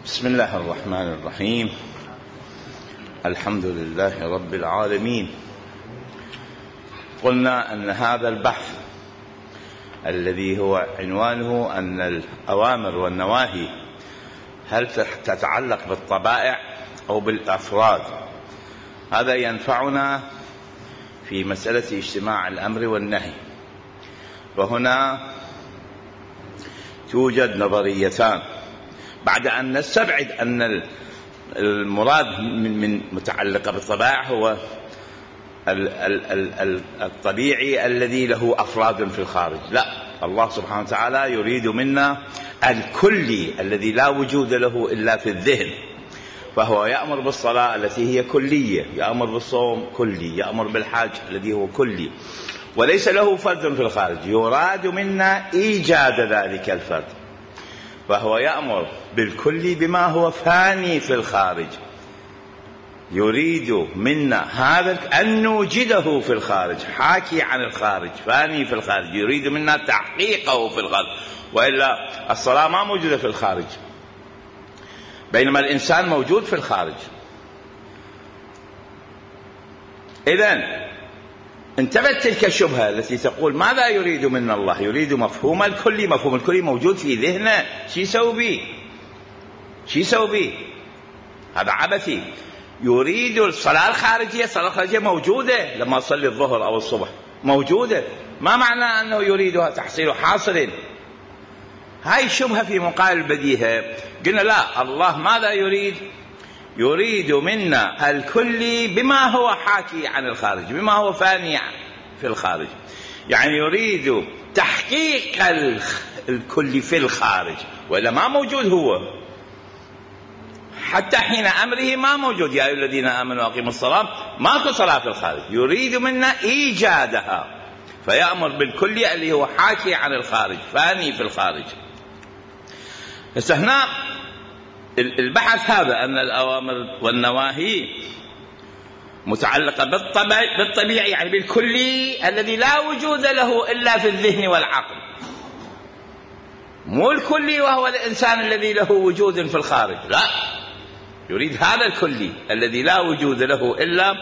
بسم الله الرحمن الرحيم. الحمد لله رب العالمين. قلنا أن هذا البحث الذي هو عنوانه أن الأوامر والنواهي هل تتعلق بالطبائع أو بالأفراد، هذا ينفعنا في مسألة اجتماع الأمر والنهي. وهنا توجد نظريتان بعد أن نستبعد أن المراد من متعلقة بالطبائع هو الطبيعي الذي له أفراد في الخارج. لا، الله سبحانه وتعالى يريد منا الكلي الذي لا وجود له إلا في الذهن، فهو يأمر بالصلاة التي هي كلية، يأمر بالصوم كلي، يأمر بالحج الذي هو كلي وليس له فرد في الخارج. يراد منا إيجاد ذلك الفرد، فهو يأمر بالكل بما هو فاني في الخارج. يريد منا هذا أن نوجده في الخارج، حاكي عن الخارج، فاني في الخارج، يريد منا تحقيقه في الخارج. وإلا الصلاة ما موجودة في الخارج، بينما الإنسان موجود في الخارج. إذن انتبهت تلك الشبهة التي تقول ماذا يريد منا الله؟ يريد مفهوم الكلي. مفهوم الكلي موجود في ذهنه، شو يسوي به؟ هذا عبثي. يريد الصلاة الخارجية، الصلاة الخارجية موجودة لما أصلي الظهر أو الصبح، موجودة. ما معنى أنه يريدها تحصيل حاصل؟ هاي شبهة في مقابل البديهة. قلنا لا، الله ماذا يريد؟ يريد منا الكل بما هو حاكي عن الخارج، بما هو فاني في الخارج. يعني يريد تحقيق الكل في الخارج، وإلا ما موجود هو. حتى حين أمره ما موجود، يا أيها الذين آمنوا أقيموا الصلاة، ماكو صلاة في الخارج. يريد منا إيجادها، فيأمر بالكل اللي هو حاكي عن الخارج، فاني في الخارج. بس هنا البحث هذا أن الأوامر والنواهي متعلقة بالطبيعي، يعني بالكلي الذي لا وجود له إلا في الذهن والعقل، مو الكلي وهو الإنسان الذي له وجود في الخارج. لا، يريد هذا الكلي الذي لا وجود له إلا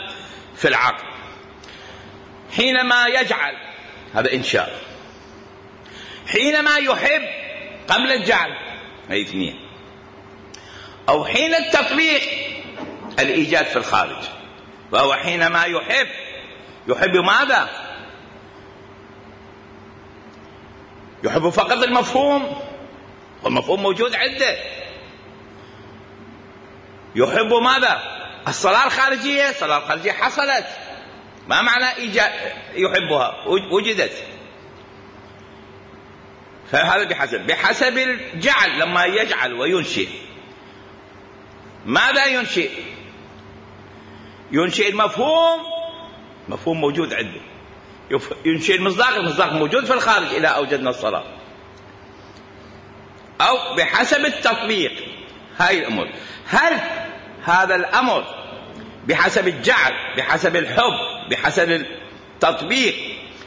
في العقل. حينما يجعل، هذا إنشاء. حينما يحب قبل الجعل، هي اثنين. أو حين التطبيق، الإيجاد في الخارج. فهو حينما يحب ماذا؟ يحب فقط المفهوم، والمفهوم موجود عنده. يحب ماذا؟ الصلاة الخارجية، الصلاة الخارجية حصلت. ما معنى إيجاد؟ يحبها، وجدت. فهذا بحسب الجعل. لما يجعل وينشئ، ماذا ينشئ؟ ينشئ المفهوم، مفهوم موجود عنده. ينشئ المصداق، المصداق موجود في الخارج إذا أوجدنا الصلاة. أو بحسب التطبيق. هاي الأمور. هل هذا الأمر بحسب الجعل، بحسب الحب، بحسب التطبيق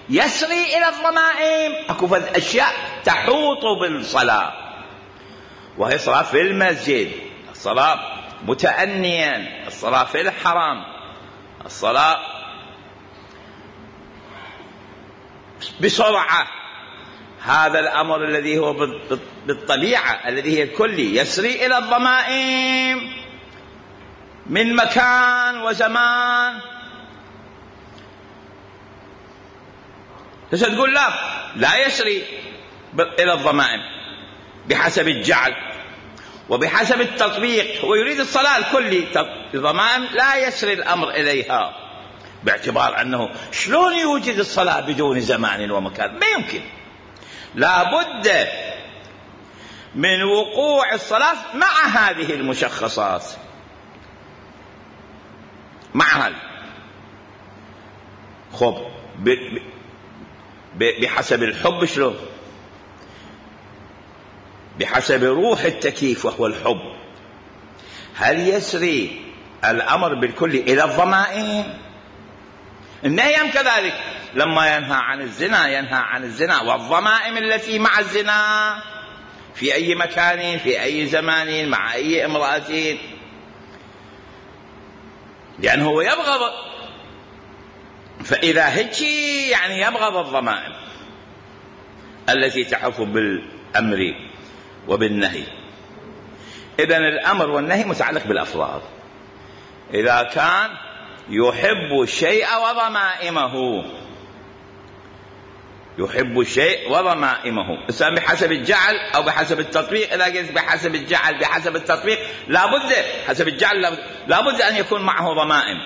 يسري إلى الضمائم؟ أكو أشياء تحوط بالصلاة، وهي صلاة في المسجد، الصلاة متأنيا، الصلاة في الحرام، الصلاة بسرعة. هذا الأمر الذي هو بالطبيعة، الذي هي الكلي، يسري إلى الضمائم من مكان وزمان. تقول لا يسري إلى الضمائم بحسب الجعل وبحسب التطبيق. هو يريد الصلاة الكلي، الضمائم لا يسري الأمر إليها، باعتبار أنه شلون يوجد الصلاة بدون زمان ومكان؟ ما يمكن. لا بد من وقوع الصلاة مع هذه المشخصات، مع هذه. خب بحسب الحب شلون؟ بحسب روح التكييف وهو الحب. هل يسري الأمر بالكل إلى الضمائم؟ النهي كذلك، لما ينهى عن الزنا، ينهى عن الزنا والضمائم التي مع الزنا في أي مكان في أي زمان مع أي امرأة، لأنه هو يبغض. فإذا هيك يعني يبغض الضمائم التي تحف بالأمر وبالنهي. إذن الأمر والنهي متعلق بالأفراد. إذا كان يحب الشيء وضمائمه، يحب الشيء وضمائمه، إذا بحسب الجعل أو بحسب التطبيق. إذا قلت بحسب الجعل بحسب التطبيق لابد حسب الجعل لابد أن يكون معه ضمائم،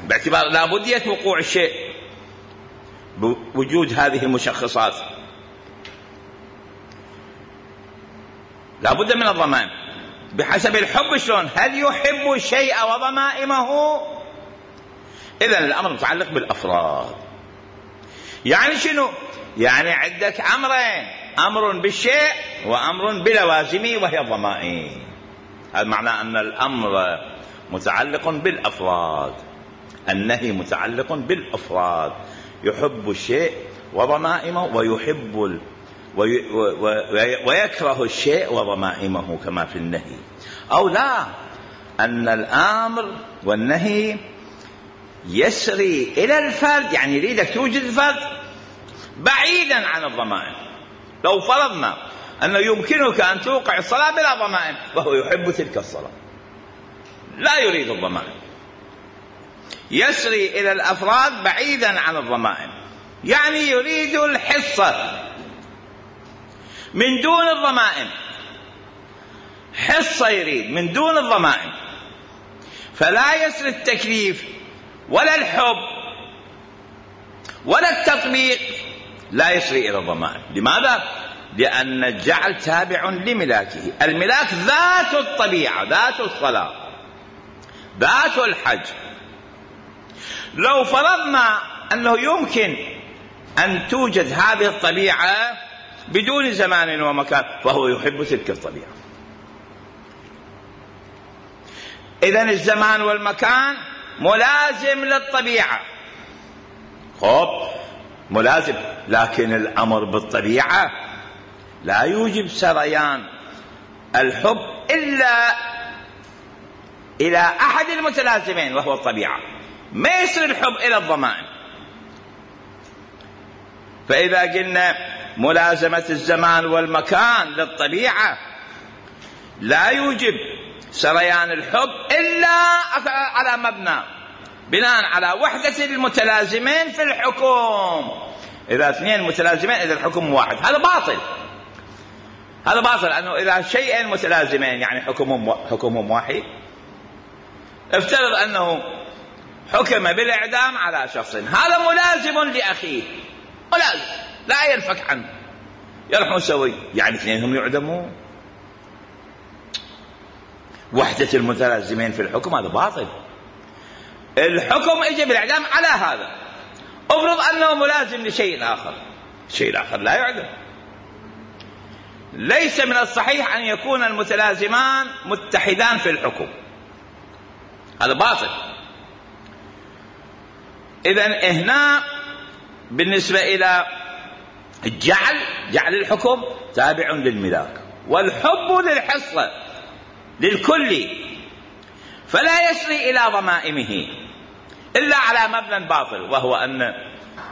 باعتبار لابدية وقوع الشيء بوجود هذه المشخصات، لابد من الضمائم. بحسب الحب شلون؟ هل يحب الشيء وضمائمه؟ إذن الأمر متعلق بالأفراد. يعني شنو؟ يعني عندك أمرين، أمر بالشيء وأمر بلوازمه وهي الضمائم. هذا معناه أن الأمر متعلق بالأفراد، النهي متعلق بالأفراد. يحب الشيء وضمائمه ويحب ويكره الشيء وضمائمه كما في النهي. أو لا، أن الأمر والنهي يسري إلى الفرد، يعني يريدك توجد الفرد بعيدا عن الضمائم. لو فرضنا أنه يمكنك أن توقع الصلاة بلا ضمائم وهو يحب تلك الصلاة، لا يريد الضمائم، يسري إلى الأفراد بعيدا عن الضمائم، يعني يريد الحصة من دون الضمائم، حصة يريد من دون الضمائم. فلا يسري التكليف ولا الحب ولا التطبيق، لا يسري إلى الضمائم. لماذا؟ لأن الجعل تابع لملاكه. الملاك ذات الطبيعة، ذات الصلاة، ذات الحج. لو فرضنا أنه يمكن أن توجد هذه الطبيعة بدون زمان ومكان فهو يحب تلك الطبيعة. إذن الزمان والمكان ملازم للطبيعة، خب ملازم، لكن الأمر بالطبيعة لا يوجب سريان الحب إلا إلى أحد المتلازمين وهو الطبيعة، ما يسري الحب إلى الضمائم. فإذا قلنا ملازمة الزمان والمكان للطبيعة لا يوجب سريان الحب إلا على مبنى بناء على وحدة المتلازمين في الحكم. إذا اثنين متلازمين إذا الحكم واحد، هذا باطل، هذا باطل. لأنه إذا شيئين متلازمين يعني حكمهم واحد. افترض أنه حكم بالإعدام على شخص، هذا ملازم لأخيه، ملازم لا ينفك عنه، يروحون سوي، يعني اثنينهم يعدمون. وحدة المتلازمين في الحكم هذا باطل. الحكم اجى بالإعدام على هذا، افرض أنه ملازم لشيء آخر، الشيء الآخر لا يعدم. ليس من الصحيح أن يكون المتلازمان متحدان في الحكم، هذا باطل. إذن هنا بالنسبة إلى الجعل، جعل الحكم تابع للملاك، والحب للحصة للكل، فلا يسري إلى ضمائمه إلا على مبنى باطل، وهو أن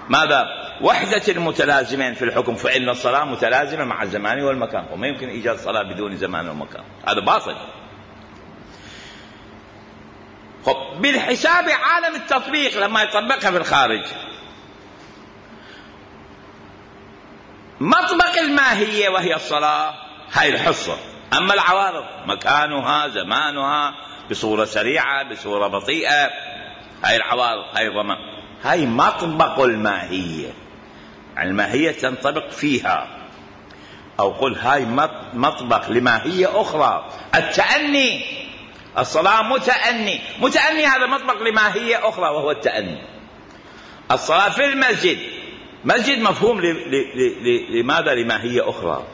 ماذا؟ وحدة المتلازمين في الحكم، فإن الصلاة متلازمة مع الزمان والمكان، وما يمكن إيجاد صلاة بدون زمان ومكان، هذا باطل. بالحساب عالم التطبيق لما يطبقها في الخارج، مطبق الماهية وهي الصلاة هاي الحصة، أما العوارض مكانها زمانها بصورة سريعة بصورة بطيئة، هاي العوارض هاي ضمان، هاي مطبق الماهية، يعني الماهية تنطبق فيها. أو قل هاي مطبق لماهية أخرى، التأني، الصلاة متأني، متأني هذا مطبق لماهية أخرى وهو التأني. الصلاة في المسجد، مسجد مفهوم لماذا؟ لماهية أخرى.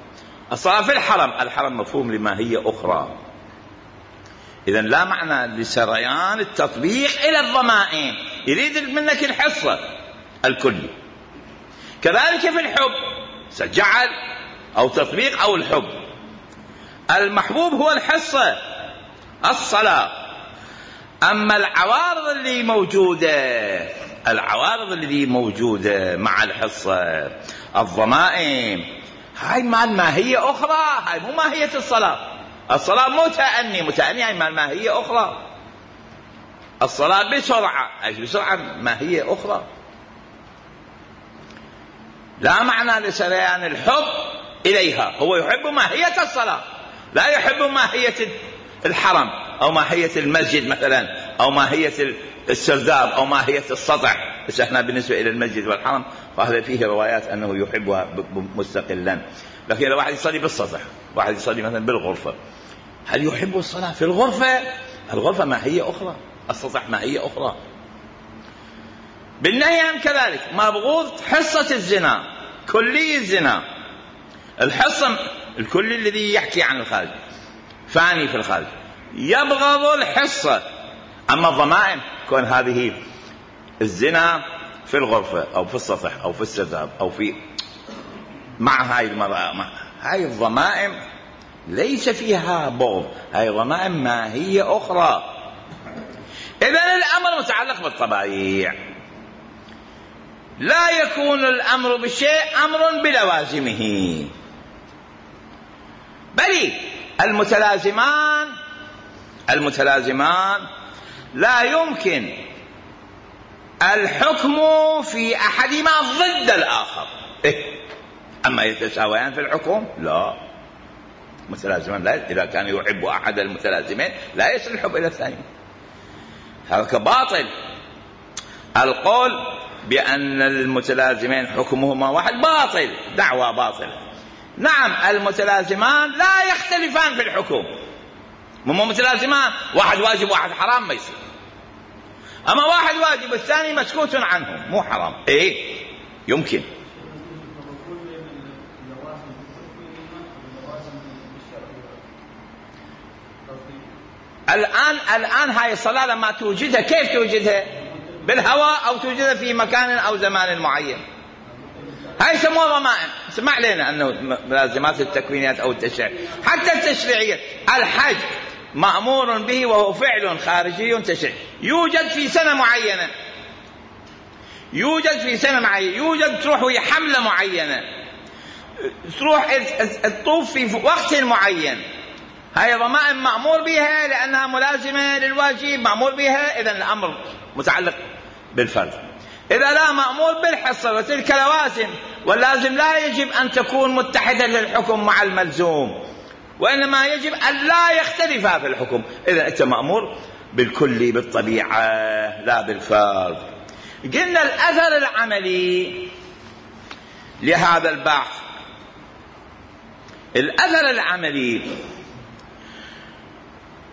الصلاة في الحرم، الحرم مفهوم لماهية أخرى. إذن لا معنى لسريان التطبيق إلى الضمائم، يريد منك الحصة الكلي. كذلك في الحب، جعل أو تطبيق أو الحب. المحبوب هو الحصة الصلاة. أما العوارض اللي موجودة مع الحصة، الضمائم، هاي مال ماهية أخرى، هاي مو ماهية الصلاة. الصلاة متأني هاي مال ماهية أخرى. الصلاة بسرعة ماهية أخرى. لا معنى لسريان الحب إليها، هو يحب ماهية الصلاة، لا يحب ماهية الحرم أو ماهية المسجد مثلا، أو ماهية السرداب، أو ماهية السطح. بس احنا بالنسبة إلى المسجد والحرم فهذا فيه روايات أنه يحبها مستقلا. لكن لو واحد يصلي بالسطح، واحد يصلي مثلا بالغرفة، هل يحب الصلاة في الغرفة؟ الغرفة ماهية أخرى، السطح ماهية أخرى. بالنهي عن كذلك مبغوض حصة الزنا، كلي الزنا، الحصة الكلي الذي يحكي عن الخارج، فاني في الخارج، يبغض الحصة. أما الضمائم كون هذه الزنا في الغرفة أو في السطح أو في السرداب أو في مع هاي المرأة، هاي الضمائم ليس فيها بغض، هاي ضمائم ماهية أخرى. إذن الأمر متعلق بالطبائع، لا يكون الأمر بشيء أمر بلوازمه، بل المتلازمان لا يمكن الحكم في أحدهما ضد الآخر. أما يتساويان في الحكم لا، متلازمان لا، إذا كان يحب أحد المتلازمين لا يصل الحب إلى الثاني. هذا باطل. القول بأن المتلازمين حكمهما واحد باطل، دعوة باطلة. نعم المتلازمان لا يختلفان في الحكم، مو متلازمان واحد واجب واحد حرام ما يصير. أما واحد واجب والثاني مسكوت عنه مو حرام، يمكن. الآن هاي الصلاة لما توجدها كيف توجدها؟ بالهواء أو توجدها في مكان أو زمان معين، هاي يسموها ضمائم. اسمع لنا أنه لازمات التكوينيات أو التشريع، حتى التشريعية، الحج مأمور به وهو فعل خارجي تشريعي، يوجد في سنة معينة، يوجد تروح وهي حملة معينة، تروح الطوف في وقت معين، هاي ضمائم مأمور بها لأنها ملازمة للواجب، مأمور بها. إذن الأمر متعلق بالفرد. إذا لا مأمور بالحصة، وتلك لوازم، واللازم لا يجب أن تكون متحدة للحكم مع الملزوم، وإنما يجب أن لا يختلفا في الحكم. إذا أنت مأمور بالكل بالطبيعة لا بالفرد. قلنا الأثر العملي لهذا البحث، الأثر العملي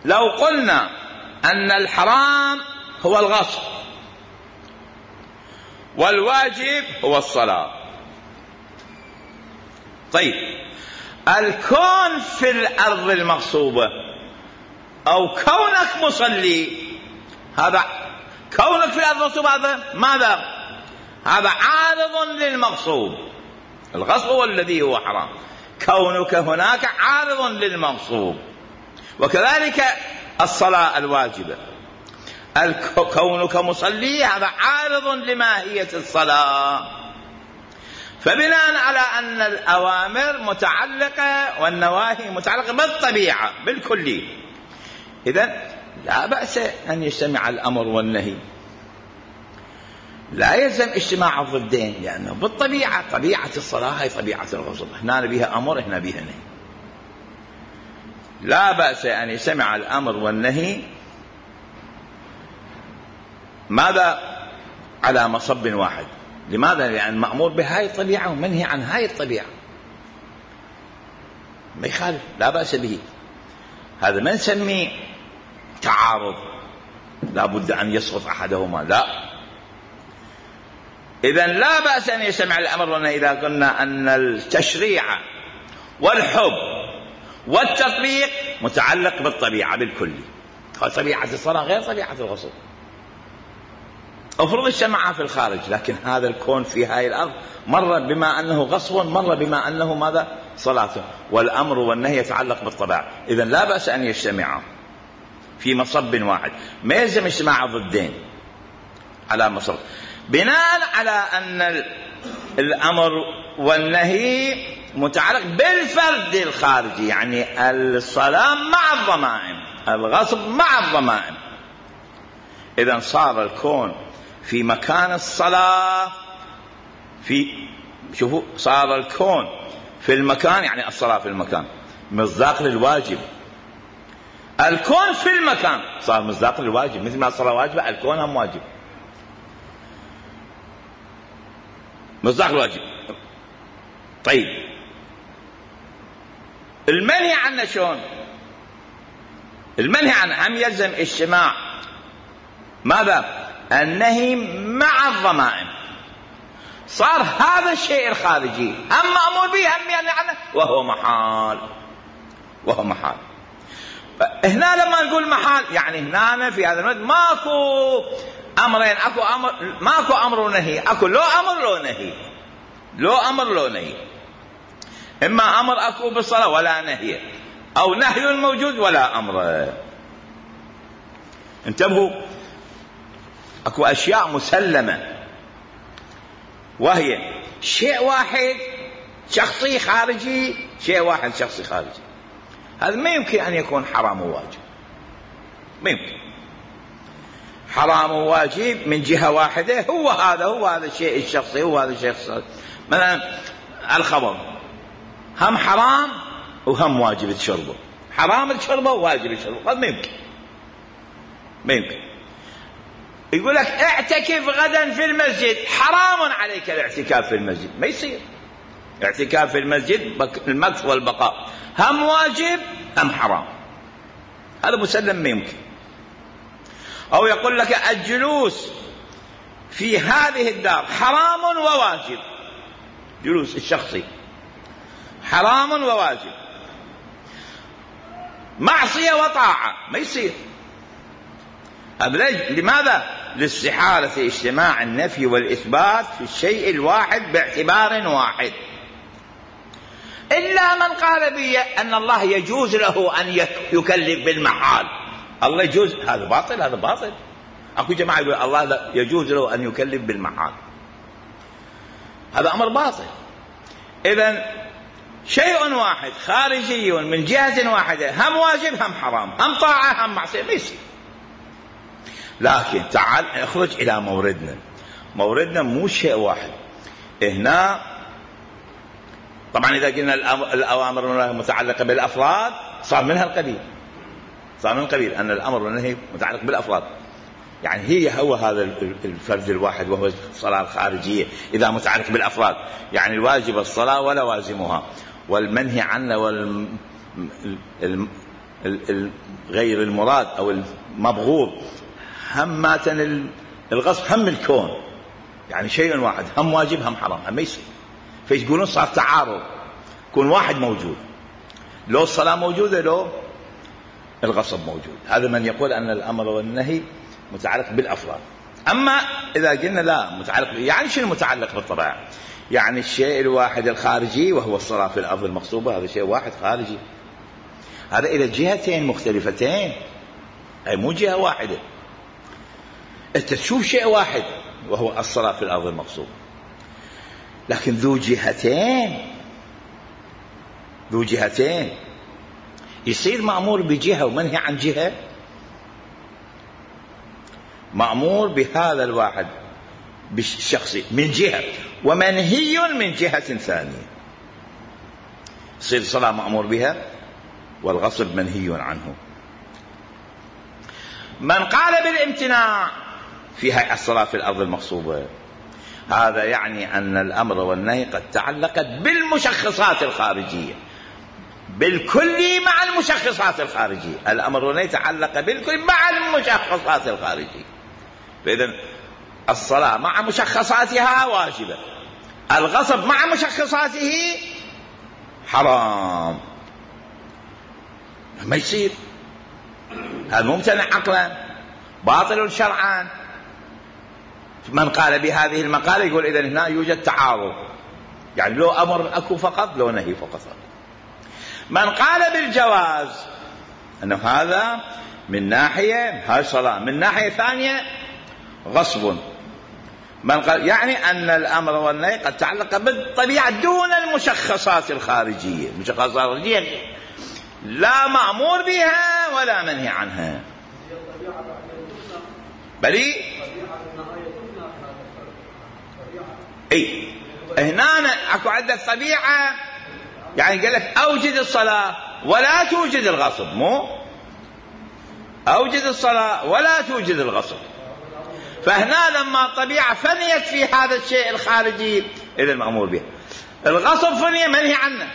لو قلنا أن الحرام هو الغصب والواجب هو الصلاة، طيب الكون في الأرض المغصوبة أو كونك مصلي، هذا كونك في الأرض المغصوبة هذا ماذا؟ هذا عارض للمغصوب. الغصب هو الذي هو حرام، كونك هناك عارض للمغصوب. وكذلك الصلاة الواجبة، كونك مصلي هذا عارض لماهية الصلاة. فبناء على أن الأوامر متعلقة والنواهي متعلقة بالطبيعة بالكلي، إذن لا بأس أن يجتمع الأمر والنهي، لا يلزم اجتماع الضدين، لأنه بالطبيعة طبيعة الصلاة هي طبيعة الغصب، هنا بها أمر هنا بها نهي. لا بأس أن يجتمع الأمر والنهي، ماذا؟ على مصب واحد. لماذا؟ لأن مأمور بهاي الطبيعة ومنهي عن هاي الطبيعة، ما يخالف، لا بأس به. هذا ما نسميه تعارض لا بد أن يسقط أحدهما، لا. إذن لا بأس أن يجتمع الأمر والنهي إذا قلنا أن التشريع والحب والتطبيق متعلق بالطبيعة بالكلي. طبيعة الصلاة غير طبيعة الغسل، افرض اجتمعا في الخارج، لكن هذا الكون في هاي الأرض مر بما أنه غصب، مر بما أنه ماذا؟ صلاة. والأمر والنهي يتعلق بالطبع، إذن لا بأس أن يجتمعا في مصب واحد، ما يلزم اجتماع ضدين على مصب، بناء على أن الأمر والنهي متعلق بالفرد الخارجي، يعني الصلاة مع الضمائم، الغصب مع الضمائم. إذن صار الكون في مكان الصلاة، شوفوا صار الكون في المكان، يعني الصلاة في المكان مصداق للواجب. الكون في المكان صار مصداق للواجب، مثل ما الصلاة واجبة الكون هم واجب، مصداق الواجب. طيب المنهي عنه شلون؟ المنهي عنه هم يلزم اجتماع ماذا؟ النهي مع الضمائم. صار هذا الشيء الخارجي هم مأمور به هم يعني عنه وهو محال. هنا لما نقول محال يعني هنا في هذا الوقت ماكو أمرين، ماكو أمر ونهي، أكو لو أمر لو نهي. إما أمر أكو بالصلاة ولا نهي، أو نهي موجود ولا أمر. انتبهوا، أكو أشياء مسلمة وهي شيء واحد شخصي خارجي، شيء واحد شخصي خارجي. هذا ما يمكن أن يكون حرام وواجب، ما يمكن. حرام وواجب من جهة واحدة، هو هذا الشيء الشخصي، هو هذا الشيء الشخصي. مثلا الخمر هم حرام وهم واجب تشربه، حرام تشربه وواجب تشربه، هذا ما يمكن. يقول لك اعتكف غدا في المسجد، حرام عليك الاعتكاف في المسجد، ما يصير. اعتكاف في المسجد المكث والبقاء هم واجب هم حرام، هذا مسلم ما يمكن. أو يقول لك الجلوس في هذه الدار حرام وواجب، جلوس الشخصي حرام وواجب، معصية وطاعة، ما يصير. لماذا؟ لاستحالة اجتماع النفي والإثبات في الشيء الواحد باعتبار واحد، إلا من قال بي أن الله يجوز له أن يكلف بالمحال. الله يجوز، هذا باطل. أكو جماعة يقول الله يجوز له أن يكلف بالمحال، هذا أمر باطل. إذن شيء واحد خارجي من جهة واحدة، هم واجب هم حرام، هم طاعة هم معصية، ما يصير. لكن تعال اخرج إلى موردنا مو شيء واحد. هنا طبعا إذا قلنا الأوامر والنهي متعلقة بالأفراد صار منها القبيل أن الأمر والنهي متعلق بالأفراد، يعني هو هذا الفرد الواحد وهو الصلاة الخارجية إذا متعلق بالأفراد، يعني الواجب الصلاة ولا وازمها، والمنهي عنه غير المراد أو المبغوض هم ماتن الغصب هم الكون، يعني شيء واحد هم واجب هم حرام، هم يصير. فيقولون صار تعارض، يكون واحد موجود، لو الصلاة موجودة لو الغصب موجود. هذا من يقول أن الأمر والنهي متعلق بالأفراد. أما إذا قلنا لا متعلق، يعني شنو متعلق بالطبيعة؟ يعني الشيء الواحد الخارجي وهو الصلاة في الأرض المغصوبة، هذا شيء واحد خارجي، هذا إلى جهتين مختلفتين، أي مو جهة واحدة. أنت تشوف شيء واحد وهو الصلاة في الأرض المغصوبة، لكن ذو جهتين يصير مأمور بجهة ومنهي عن جهة، مأمور بهذا الواحد بالشخصي من جهة ومنهي من جهة ثانية. يصير الصلاة مأمور بها والغصب منهي عنه. من قال بالامتناع في الصلاة في الأرض المغصوبة، هذا يعني أن الأمر والنهي قد تعلقت بالمشخصات الخارجية، بالكل مع المشخصات الخارجية. الأمر والنهي تعلق بالكل مع المشخصات الخارجية، فإذن الصلاة مع مشخصاتها واجبة، الغصب مع مشخصاته حرام، ما يصير. هذا ممتنع عقلا، باطل شرعا. من قال بهذه المقالة يقول إذن هنا يوجد تعارض، يعني لو أمر أكو فقط لو نهي فقط. من قال بالجواز أنه هذا من ناحية هاي صلاة، من ناحية ثانية غصب. من قال يعني أن الأمر والنهي قد تعلق بالطبيعة دون المشخصات الخارجية. المشخصات الخارجية لا مأمور بها ولا منهي عنها، بل هنا اكو عندك طبيعة، يعني قال لك أوجد الصلاة ولا توجد الغصب، مو أوجد الصلاة ولا توجد الغصب. فهنا لما الطبيعة فنيت في هذا الشيء الخارجي إذا المأمور به، الغصب فني منهي عنه.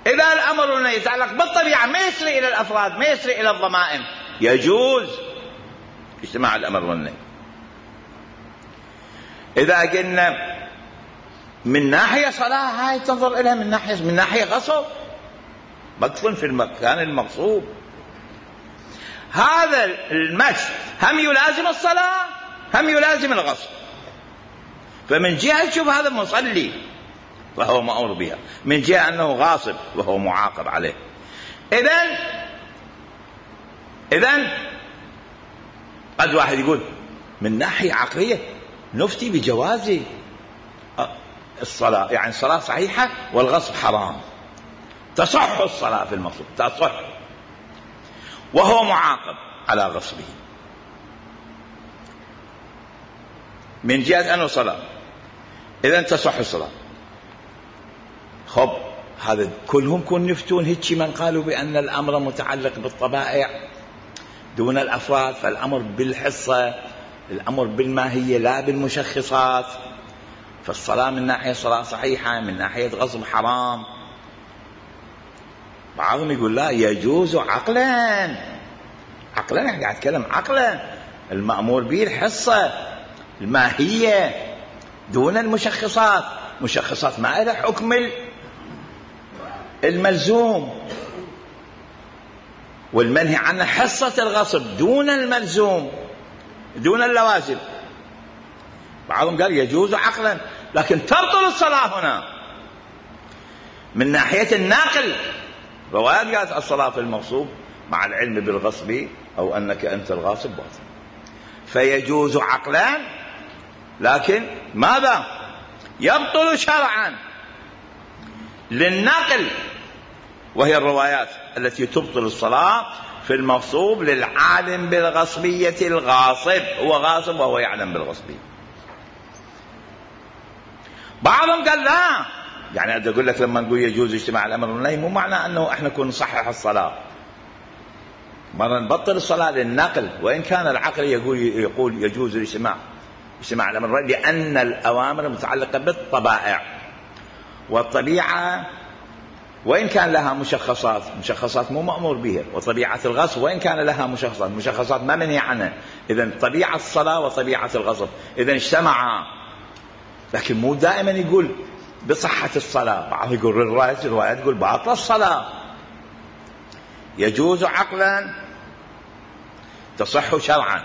إذا الأمر يتعلق بالطبيعة ما يسري إلى الأفراد، ما يسري إلى الضمائم، يجوز اجتماع الأمر والنهي. إذا قلنا من ناحية صلاة هاي تنظر إليها من ناحية غصب، مدفن في المكان المغصوب. هذا المشي هم يلازم الصلاة هم يلازم الغصب. فمن جهة تشوف هذا مصلي وهو مأمور بها، من جهة أنه غاصب وهو معاقب عليه. إذن قد واحد يقول من ناحية عقلية نفتي بجواز الصلاة، يعني الصلاة صحيحة والغصب حرام، تصح الصلاة في المقصود تصح وهو معاقب على غصبه من جهة أنه صلاة، إذن تصح الصلاة. خب هذا كلهم كون يفتون هيك من قالوا بأن الأمر متعلق بالطبائع دون الأفراد، فالأمر بالحصة، الأمر بالماهية لا بالمشخصات. فالصلاة من ناحية صلاة صحيحة، من ناحية غصب حرام. بعضهم يقول لا يجوز عقلا، عقلا يعني قاعد أتكلم عقلا، المأمور به الحصة الماهية دون المشخصات. مشخصات ما لها حكم الملزوم، والمنهي عنه حصة الغصب دون الملزوم دون اللوازم. بعضهم قال يجوز عقلا، لكن تبطل الصلاة هنا من ناحية الناقل. روايات قالت الصلاة في المغصوب مع العلم بالغصب أو أنك أنت الغاصب باطل. فيجوز عقلا، لكن ماذا؟ يبطل شرعا للنقل، وهي الروايات التي تبطل الصلاة في المغصوب للعالم بالغصبية الغاصب، هو غاصب وهو يعلم بالغصبية. بعضهم قال لا، يعني أقول لك لما نقول يجوز اجتماع الأمر والنهي مو معنى أنه إحنا نكون نصحح الصلاة، مرة نبطل الصلاة للنقل، وإن كان العقل يقول يجوز اجتماع الأمر والنهي، لأن الأوامر متعلقة بالطبائع، والطبيعة وإن كان لها مشخصات مو مأمور بها، وطبيعة الغصب وإن كان لها مشخصات ما منهي عنها. إذن طبيعة الصلاة وطبيعة الغصب إذن اجتمعا، لكن مو دائما يقول بصحة الصلاة. بعض يقول الرواية تقول باطل الصلاة. يجوز عقلا تصح شرعا.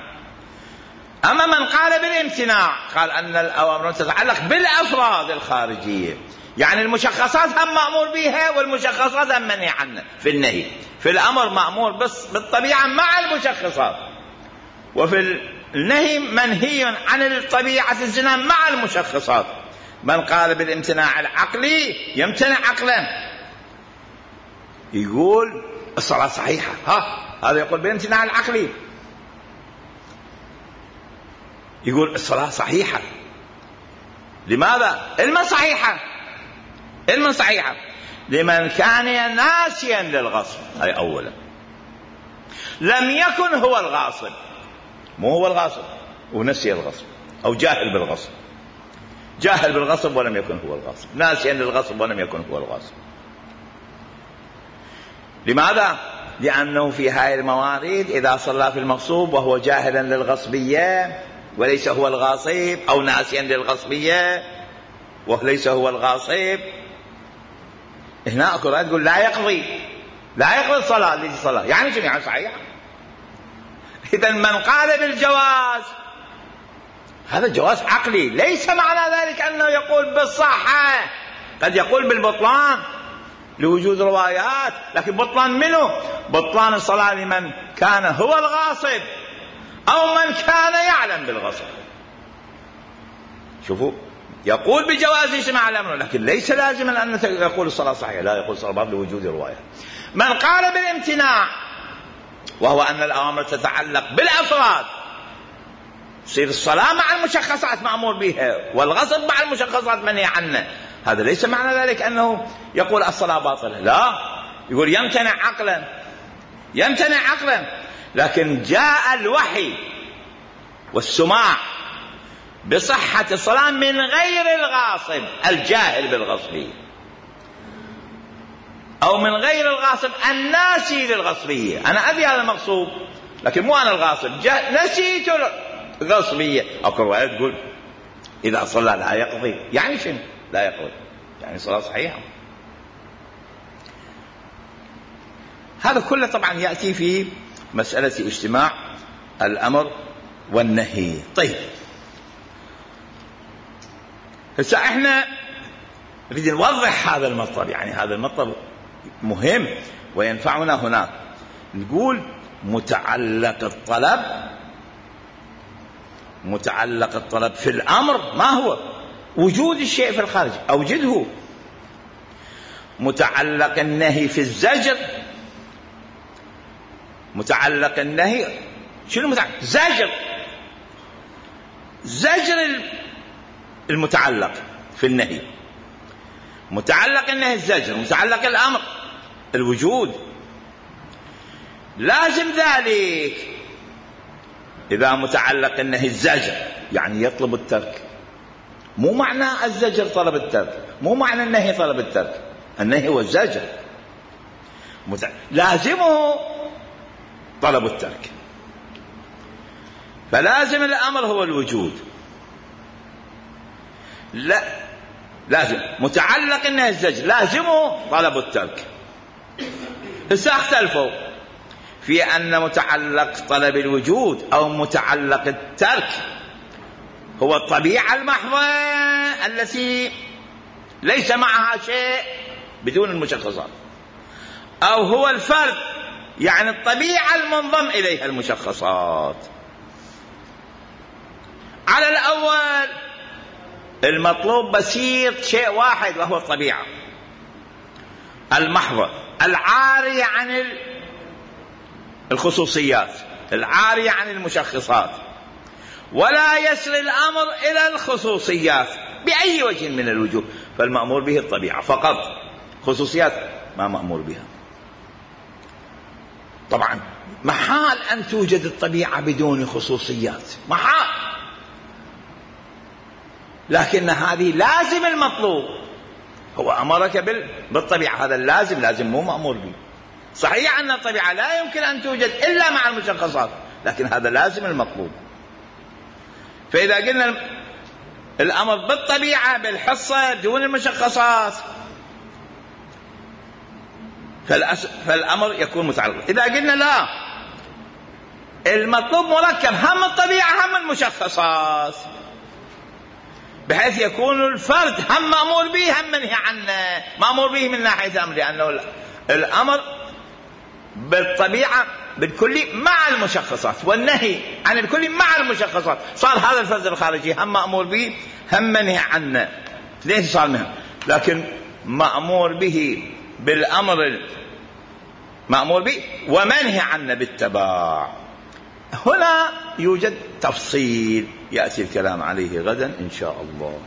أما من قال بالامتناع قال أن الأوامر تتعلق بالأفراد الخارجية، يعني المشخصات هم مأمور بها والمشخصات هم منهي عنها. في النهي في الأمر مأمور بس بالطبيعة مع المشخصات، وفي النهي منهي عن الطبيعة الزنا مع المشخصات. من قال بالامتناع العقلي يمتنع عقلا، يقول الصلاة صحيحة، هذا يقول بالامتناع العقلي، يقول الصلاة صحيحة. لماذا؟ علما صحيحة لمن كان ناسيا للغصب، هاي أولا. لم يكن هو الغاصب، مو هو الغاصب ونسي الغصب، أو جاهل بالغصب ولم يكن هو الغاصب، ناسيا للغصب ولم يكن هو الغاصب. لماذا؟ لأنه في هاي الموارد إذا صلى في المغصوب وهو جاهلا للغصبية وليس هو الغاصب، أو ناسيا للغصبية وليس هو الغاصب، هنا أقول لا يقضي الصلاة التي صلى. يعني جميعا صحيح. إذن من قال بالجواز هذا جواز عقلي، ليس معنى ذلك أنه يقول بالصحة، قد يقول بالبطلان لوجود روايات، لكن بطلان منه؟ بطلان الصلاة لمن كان هو الغاصب أو من كان يعلم بالغصب. شوفوا، يقول بجواز اجتماع الأمر، لكن ليس لازما أن يقول الصلاة صحيحة، لا، يقول الصلاة باطلة لوجود رواية. من قال بالامتناع، وهو أن الأوامر تتعلق بالأفراد، تصير الصلاة مع المشخصات مأمور بها، والغصب مع المشخصات منهي عنه، هذا ليس معنى ذلك أنه يقول الصلاة باطلة، لا، يقول يمتنع عقلا، يمتنع عقلا. لكن جاء الوحي والسماع بصحة الصلاة من غير الغاصب الجاهل بالغصبية، أو من غير الغاصب الناسي للغصبية. أنا أدري هذا المقصود، لكن مو أنا الغاصب، نسيت الغصبية. أو رواية تقول إذا صلى لا يقضي، يعني شنو لا يقضي؟ يعني صلاة صحيحة. هذا كله طبعا يأتي في مسألة اجتماع الأمر والنهي. طيب، هسه احنا نريد نوضح هذا المطلب، يعني هذا المطلب مهم وينفعنا هناك. نقول متعلق الطلب في الأمر ما هو؟ وجود الشيء في الخارج، أوجده. متعلق النهي في الزجر، متعلق النهي شنو متعلق؟ زجر المتعلق في النهي، متعلق النهي الزجر، متعلق الأمر الوجود. لازم ذلك إذا متعلق النهي الزجر يعني يطلب الترك، مو معنى الزجر طلب الترك، مو معنى النهي طلب الترك، النهي هو الزجر، لازمه طلب الترك. فلازم الأمر هو الوجود، لا لازم متعلق النهي الزجر لازمه طلب الترك. هسه اختلفوا في أن متعلق طلب الوجود أو متعلق الترك هو الطبيعة المحضة التي ليس معها شيء بدون المشخصات، أو هو الفرد يعني الطبيعة المنضم إليها المشخصات. على الأول المطلوب بسيط، شيء واحد، وهو الطبيعة المحضة العارية عن الخصوصيات، العارية عن المشخصات، ولا يصل الأمر إلى الخصوصيات بأي وجه من الوجوه، فالمأمور به الطبيعة فقط، خصوصيات ما مأمور بها. طبعا محال أن توجد الطبيعة بدون خصوصيات، محال، لكن هذه لازم المطلوب. هو أمرك بالطبيعة، هذا اللازم، لازم مو مأمور به. صحيح أن الطبيعة لا يمكن أن توجد إلا مع المشخصات، لكن هذا لازم المطلوب. فإذا قلنا الأمر بالطبيعة بالحصة دون المشخصات فالأمر يكون متعلق. إذا قلنا لا، المطلوب مركب، هم الطبيعة هم المشخصات، بحيث يكون الفرد هم مأمور به هم منهي عنه، مأمور به من ناحية أمر، لأنه الأمر بالطبيعة بالكلي مع المشخصات، والنهي عن الكلي مع المشخصات، صار هذا الفرد الخارجي هم مأمور به هم منهي عنه، ليش صار منه؟ لكن مأمور به بالأمر مأمور به ومنهي عنه بالتباع. هنا يوجد تفصيل يأتي الكلام عليه غدا إن شاء الله.